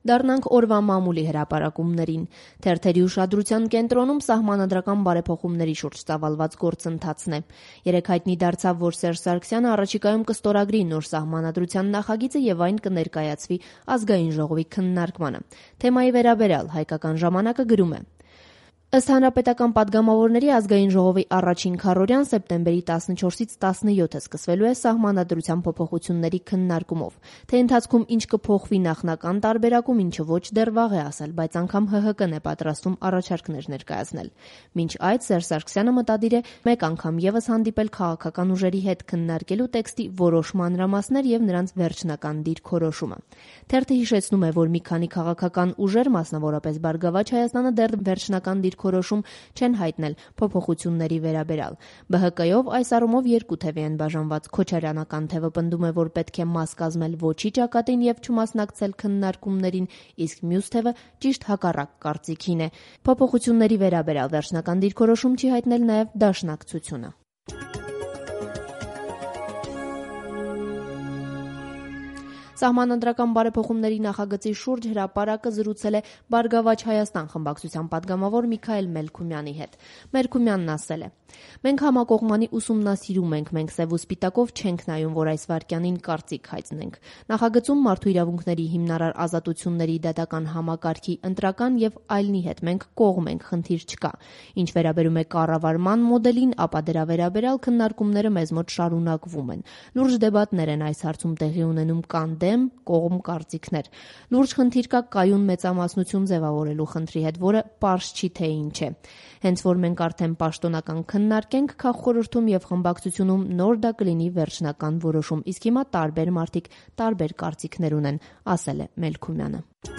Դառնանք օրվա մամուլի հրապարակումներին։ Թերթերի ուշադրության կենտրոնում սահմանադրական բարեփոխումների շուրջ ծավալված գործընթացն է։ Երեկ հայտնի դարձավ, որ Սերժ Սարգսյանը առաջիկայում կստորագրի նոր սահմանադրության նախագիծը եւ այն կներկայացվի Ազգային ժողովի քննարկմանը։ Թեմայի վերաբերյալ Հայկական ժամանակը գրում է. Ըստ հանրապետական падգամավորների Ազգային ժողովի առաջին քառօրյան սեպտեմբերի 14-ից 17-ը սկսվելու է սահմանադրության փոփոխությունների քննարկումով։ Թե ընթացքում ինչ կփոխվի նախնական տարբերակում, ինչը ոչ դեռ վաղ է ասել, բայց անգամ ՀՀԿ-ն է պատրաստում առաջարկներ ներկայացնել։ Մինչ այդ Սերժ Սարգսյանը մտադիր է մեկ անգամ եւս հանդիպել քաղաքական ուժերի հետ քննարկելու տեքստի որոշ մանրամասներ եւ նրանց վերջնական դիրքորոշումը։ Թերթը հիշեցնում է, որ մի քանի քաղաքական ուժեր, մասնավորապես Բարգավաճ Հայաստանը, դեռ վերջնական դիրքորոշում չեն հայտնել փոփոխությունների վերաբերյալ։ ԲՀԿ-ով այս առումով երկու թևի են բաժանված։ Քոչարյանական թևը պնդում է, որ պետք է մաս կազմել ոչի ճակատին եւ չմասնակցել քննարկումներին, իսկ մյուս թևը ճիշտ հակառակ կարծիքին է։ Փոփոխությունների վերաբերյալ վերջնական դիրքորոշում չի հայտնել նաեւ Դաշնակցությունը։ Սահմանադրական բարեփոխումների նախագծի շուրջ հրապարակը զրուցել է Բարգավաճ Հայաստան խմբակցության падգամավոր Միքայել Մելքումյանի հետ։ Մելքումյանն ասել է. «Մենք համակողմանի ուսումնասիրում ենք, մենք սև ու սպիտակով չենք նայում, որ այս վայրկյանին կարծիք հայտնենք։ Նախագծում մարդու իրավունքների հիմնարար ազատությունների դատական համակարգի ընտրական եւ այլնի հետ մենք կողմ ենք, խնդիր չկա։ Ինչ վերաբերում է կառավարման մոդելին, ապա դրա վերաբերյալ քննարկումները մեզ մոտ շարունակվում են։ Լուրջ դեբատներ են այս հարցում տեղի ունենում, կան դեմ, կողմ կարծիքներ։ Լուրջ խնդիր կա կայուն մեծամասնություն ձևավորելու խնդրի հետ, որը պարզ չի թե ինչ է։ Հենց որ մենք արդեն պաշտոնական քննարկենք քաղխորհրդում եւ խմբակցությունում, նոր դա կլինի վերջնական որոշում, իսկ հիմա տարբեր մարդիկ տարբեր կարծիքներ ունեն», ասել է Մելքումյանը։